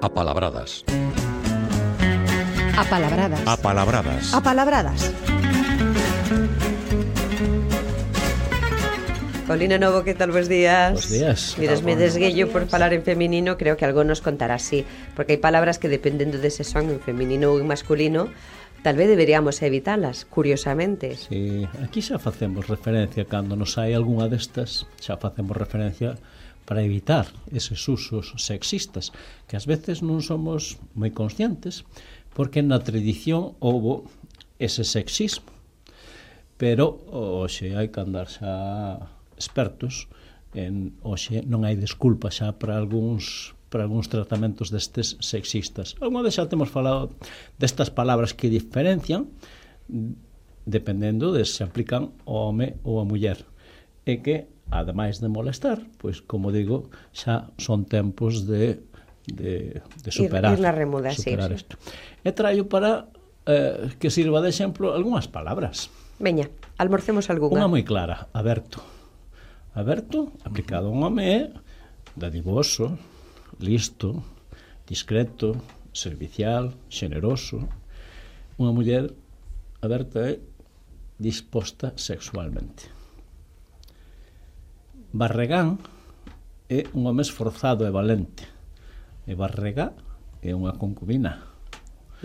Apalabradas. Apalabradas. Apalabradas. Apalabradas. Paulino Novo, que tal? Bos días. Bos días. Miras, me desguello por falar en feminino, creo que algo nos contará así, porque hai palabras que dependendo de se son en feminino ou en masculino, tal vez deberíamos evitalas, curiosamente. Sí, aquí xa facemos referencia, cando nos hai algunha destas, xa facemos referencia para evitar eses usos sexistas, que ás veces non somos moi conscientes, porque na tradición houbo ese sexismo. Pero hoxe hai que andar xa expertos en hoxe non hai desculpa xa para algúns tratamentos destes sexistas. Alguna vez xa temos falado destas palabras que diferencian dependendo de se aplican ao home ou á muller, e que ademais de molestar, pois como digo, xa son tempos de superar, ir na remuda, superar sí. isto. E traio para que sirva de exemplo algunhas palabras. Veña, almorcemos algunha. Unha moi clara, aberto. Aberto, aplicado a un home, é dadivoso, listo, discreto, servicial, xeneroso. Unha muller aberta é disposta sexualmente. Barregán é un home esforzado e valente. E barregá é unha concubina.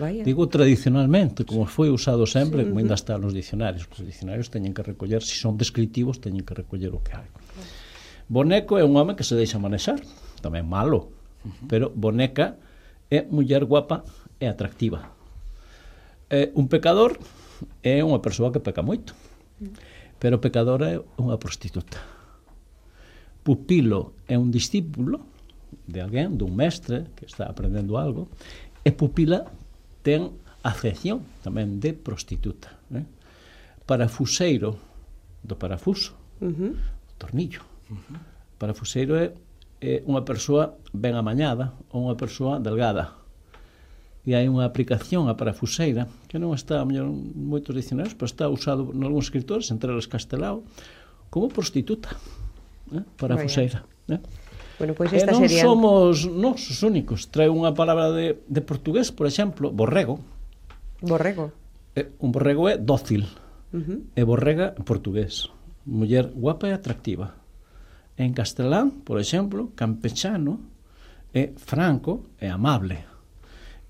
Vaya. Digo tradicionalmente, como foi usado sempre, como ainda está nos dicionarios. Os dicionarios teñen que recoller, se son descriptivos, teñen que recoller o que hai. Boneco é un home que se deixa manexar, tamén malo, pero boneca é muller guapa e atractiva. Un pecador é unha persoa que peca moito, pero pecadora é unha prostituta. Pupilo é un discípulo de alguén, dun mestre que está aprendendo algo, e pupila ten acepción tamén de prostituta. Parafuseiro, do parafuso, tornillo. Parafuseiro é unha persoa ben amañada ou unha persoa delgada. E hai unha aplicación a parafuseira que non está mellor en moitos dicionarios, pero está usado en algúns escritores, entre eles Castelao, como prostituta. Parafuseira. Bueno, pois esta non sería... somos nós os únicos. Trae unha palabra de portugués, por exemplo, borrego. Borrego. Un borrego é dócil. E borrega en portugués. Muller guapa e atractiva. En castelán, por exemplo, campechano é franco e amable.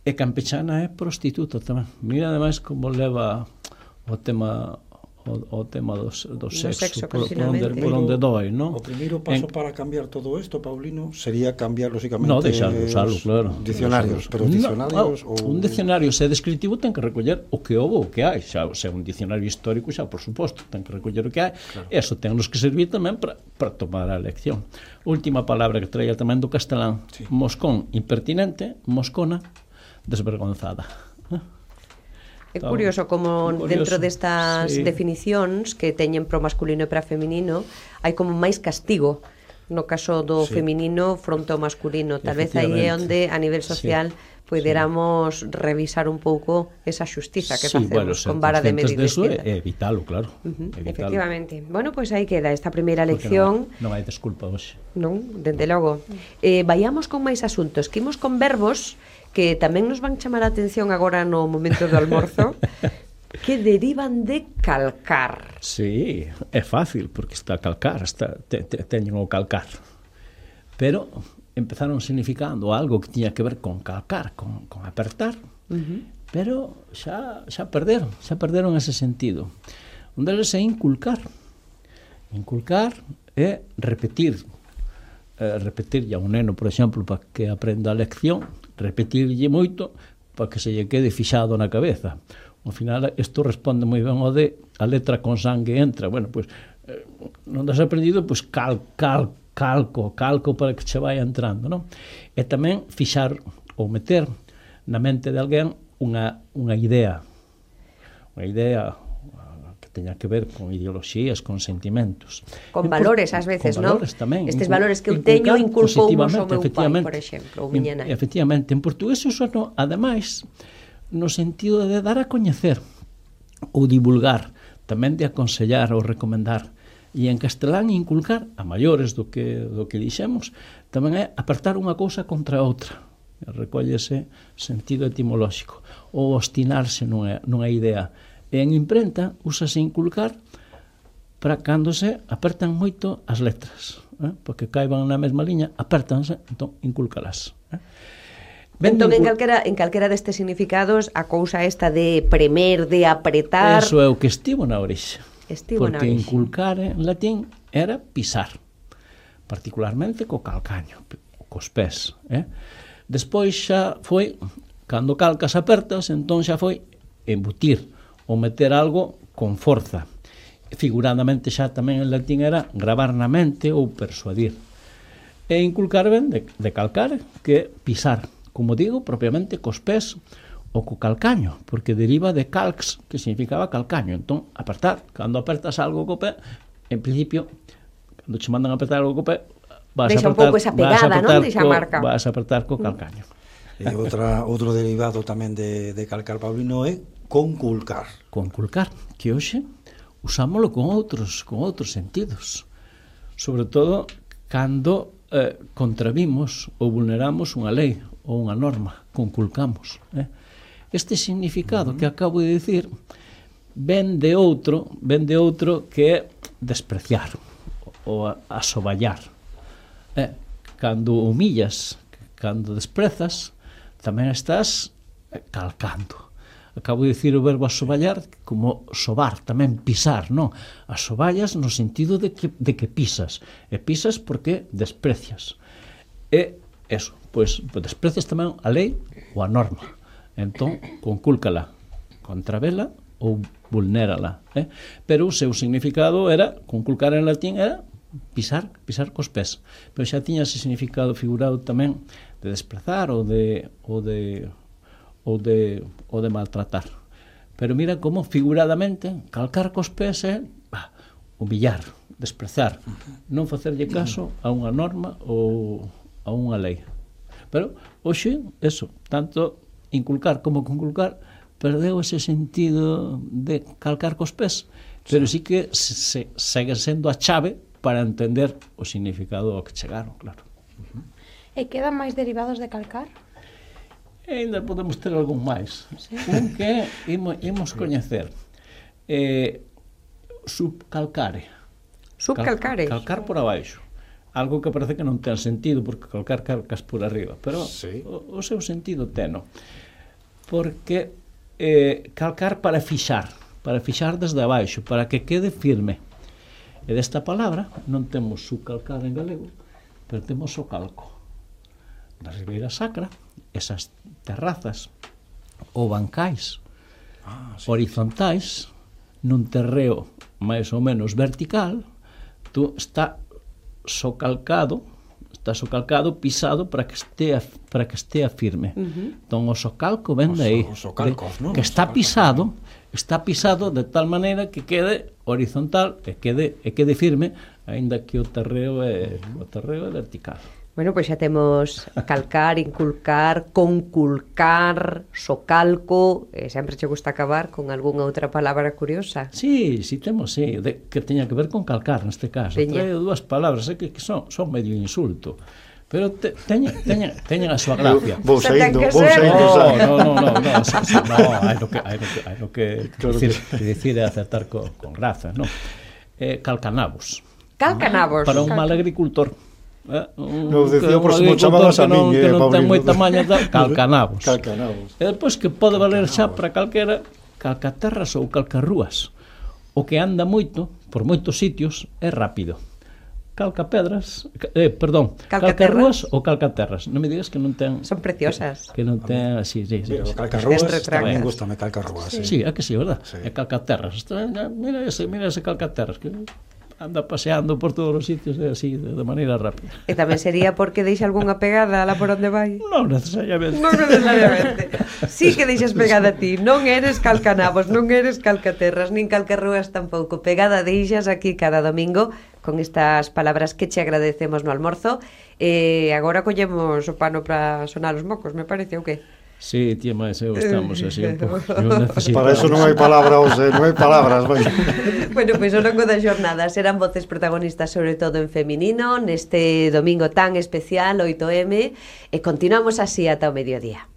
E campechana é prostituta tamén. Mira, ademais, como leva o tema do sexo por onde doi, non? O primeiro paso para cambiar todo isto, Paulino, sería cambiar, lógicamente, no, deixar de usalo, claro. Dicionarios, pero dicionarios... Un dicionario, se é descriptivo, ten que recoller o que houve, o que hai. Xa, se é un dicionario histórico, xa, por suposto, ten que recoller o que hai. Claro. E eso ten nos que servir tamén para tomar a lección. Última palabra que traía tamén do castelán. Sí. Moscón, impertinente. Moscona, desvergonzada. É curioso como dentro destas definicións que teñen pro masculino e para feminino hai como máis castigo no caso do feminino fronte ao masculino. Tal vez aí é onde a nivel social poderamos revisar un pouco esa xustiza que facemos con vara de medir distinta. É evitalo, claro. Efectivamente. Bueno, pois aí queda esta primeira lección. Non hai desculpa hoxe. Non, dende logo. Vayamos con máis asuntos, que imos con verbos que tamén nos van chamar a atención agora no momento do almorzo, que derivan de calcar. Sí, é fácil, porque está a calcar, teñen o calcar. Pero empezaron significando algo que tiña que ver con calcar, con apertar, pero xa perderon ese sentido. Un deles é inculcar. Inculcar é repetirlle a un neno, por exemplo, para que aprenda a lección, repetirlle moito para que se lle quede fixado na cabeza. Ao final, isto responde moi ben ao de a letra con sangue entra. Bueno, pois, non das aprendido, pois calco para que che vai entrando, non? E tamén fixar ou meter na mente de alguén unha idea que teña que ver con ideoloxías, con sentimentos. Con valores, ás veces, non? Tamén. Estes valores que eu teño inculpoumos ao meu pai, por exemplo, ou miña nai. Efectivamente, en portugués uso, ademais, no sentido de dar a coñecer ou divulgar, tamén de aconsellar ou recomendar. E en castelán inculcar a maiores do que dixemos tamén é apertar unha cousa contra a outra. recóllese sentido etimolóxico, ou obstinarse nunha idea. E en imprenta úsase inculcar para cando se apertan moito as letras, porque caiban na mesma liña, apertanse, entón inculcalas. Entón, en calquera destes significados, a cousa esta de premer, de apretar... Eso é o que estivo na orixe. Porque inculcar en latín era pisar, particularmente co calcaño, cos pés. Despois xa foi, cando calcas apertas, entón xa foi embutir ou meter algo con forza. Figuradamente xa tamén en latín era gravar na mente ou persuadir. E inculcar ben de calcar, que pisar, como digo, propiamente cos pés ou co calcaño, porque deriva de calx, que significaba calcaño. Entón, apertar, cando apertas algo co pé, en principio, cando che mandan apertar algo co pé, vas a apertar co calcaño. E outro derivado tamén de calcar, Paulino, é conculcar. Conculcar, que hoxe usámoslo con outros sentidos. Sobre todo, cando contravimos ou vulneramos unha lei ou unha norma, conculcamos. Este significado que acabo de dicir ven de outro que é despreciar ou asoballar. Cando humillas, cando desprezas, tamén estás calcando. Acabo de dicir o verbo asoballar como sobar, tamén pisar, non? Asoballas no sentido de que pisas. E pisas porque desprecias. E eso, pois desprecias tamén a lei ou a norma. Entón, concúlcala, contravela ou vulnérala. Pero o seu significado era, conculcar en latín era pisar cos pés. Pero xa tiña ese significado figurado tamén de desprezar ou de maltratar. Pero mira como figuradamente calcar cos pés é humillar, desprezar, non facerlle caso a unha norma ou a unha lei. Pero hoxe, eso, tanto inculcar como conculcar perdeu ese sentido de calcar cos pés, pero sí que segue sendo a chave para entender o significado ao que chegaron, claro. E quedan máis derivados de calcar? E ainda podemos ter algún máis. Un que imos coñecer. Subcalcare. Subcalcare? Calcar por abaixo. Algo que parece que non ten sentido, porque calcas por arriba. Pero o seu sentido teno. Porque calcar para fixar desde abaixo, para que quede firme. E desta palabra non temos subcalcar en galego, pero temos o calco. Na Ribeira Sacra, esas terrazas ou bancais horizontais nun terreo máis ou menos vertical, está socalcado, pisado para que estea firme. Entón o socalco ven de aí, que está pisado de tal maneira que quede horizontal e quede firme, aínda que o terreo é vertical. Bueno, pois xa temos calcar, inculcar, conculcar, socalco, sempre che gusta acabar con algunha outra palabra curiosa. Sí, temos, que teña que ver con calcar neste caso. Traio dúas palabras que son medio insulto, pero teñen a súa gracia. Vou saindo. No, hai no que dicir é acertar con graza, non? Calcanabos. Calcanabos. Para un mal agricultor. Nos decía por se mo chamabas a min, que non ten moita maña, calcanabos. Calcanabos. E depois que pode valer xa para calquera, calcaterras ou calcarrúas. O que anda moito, por moitos sitios, é rápido. Calcarrúas ou calcaterras. Non me digas que non ten... Son preciosas. Que non ten así, sí. Mira, calcarrúas, tamén gustame calcarrúas. Sí, é que sí, verdad? É calcaterras. Mira ese calcaterras, que anda paseando por todos os sitios así, de maneira rápida. E tamén sería porque deixa algunha pegada lá por onde vai? Non necesariamente. Sí que deixas pegada a ti. Non eres calcanabos, non eres calcaterras, nin calcarrúas tampouco. Pegada deixas aquí cada domingo con estas palabras que che agradecemos no almorzo. Agora collemos o pano para sonar os mocos, me parece, ou que? Sí, tía, máis eu estamos así un pouco. Para eso non hai palabras, non hai palabras, vai. Bueno, pois ao longo da xornada serán voces protagonistas sobre todo en feminino neste domingo tan especial, 8M, e continuamos así ata o mediodía.